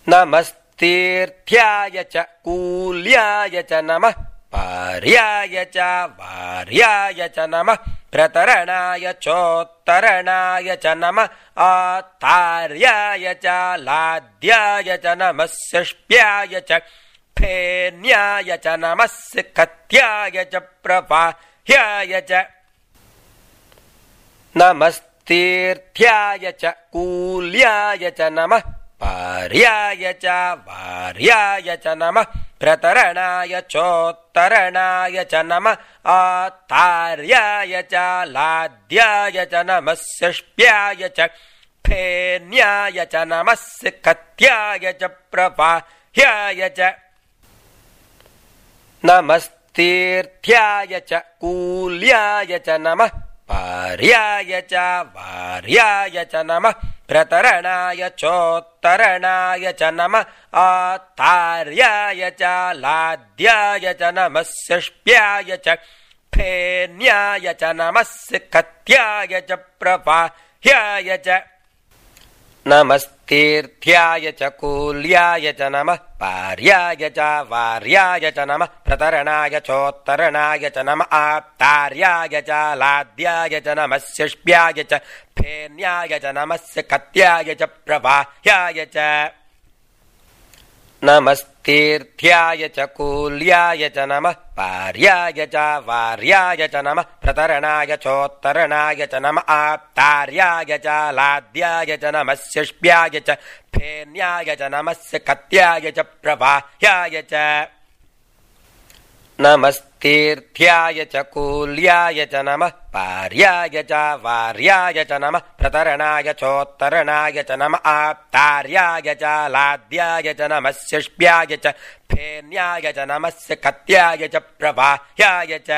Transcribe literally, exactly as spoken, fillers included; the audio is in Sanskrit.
नमस्तीर्थ्याय च कूल्याय च नमः पार्याय च वार्याय च नमः प्रतरणाय चोत्तरणाय च नमः आतार्याय च लाद्याय च नमः षष्ट्याय च फेन्याय च नमः सिकत्याय च प्रवाह्याय च नमस्तीर्थ्याय च कूल्याय च नमः पार्याय च वार्याय च नमः प्रतरणाय चोत्तरणाय च नमः आतार्याय च लाद्याय च नमः षष्ट्याय च फेन्याय च नमः सिकत्याय च प्रवाह्याय च नमस्तीर्थ्याय च कूल्याय च नमः पार्याय च वार्याय च नमः प्रतरणाय चोत्तरणाय च नमः आतार्याय च लाद्याय च नमः षष्ट्याय च फेन्याय च नमः सिकत्याय च प्रवाह्याय च नमस्तीर्थ्याय च कूल्याय च नमः पार्याय च वार्याय च नमः प्रतरणाय चोत्तरणाय च नमः आतार्याय च लाद्याय च नमः षष्ट्याय च फेन्याय च नमः सिकत्याय च प्रवाह्याय च नमस्तीर्थ्याय च कूल्याय च नमः पार्याय च वार्याय च नमः प्रतरणाय चोत्तरणाय च नमः आतार्याय च लाद्याय च नमः षष्ट्याय च फेन्याय च नमः सिकत्याय च प्रवाह्याय च नमस्तीर्थ्याय च कूल्याय च नमः पार्याय च वार्याय च नमः प्रतरणाय चोत्तरणाय च नमः आतार्याय च लाद्याय च नमः षष्ट्याय च फेन्याय च नमः सिकत्याय च प्रवाह्याय च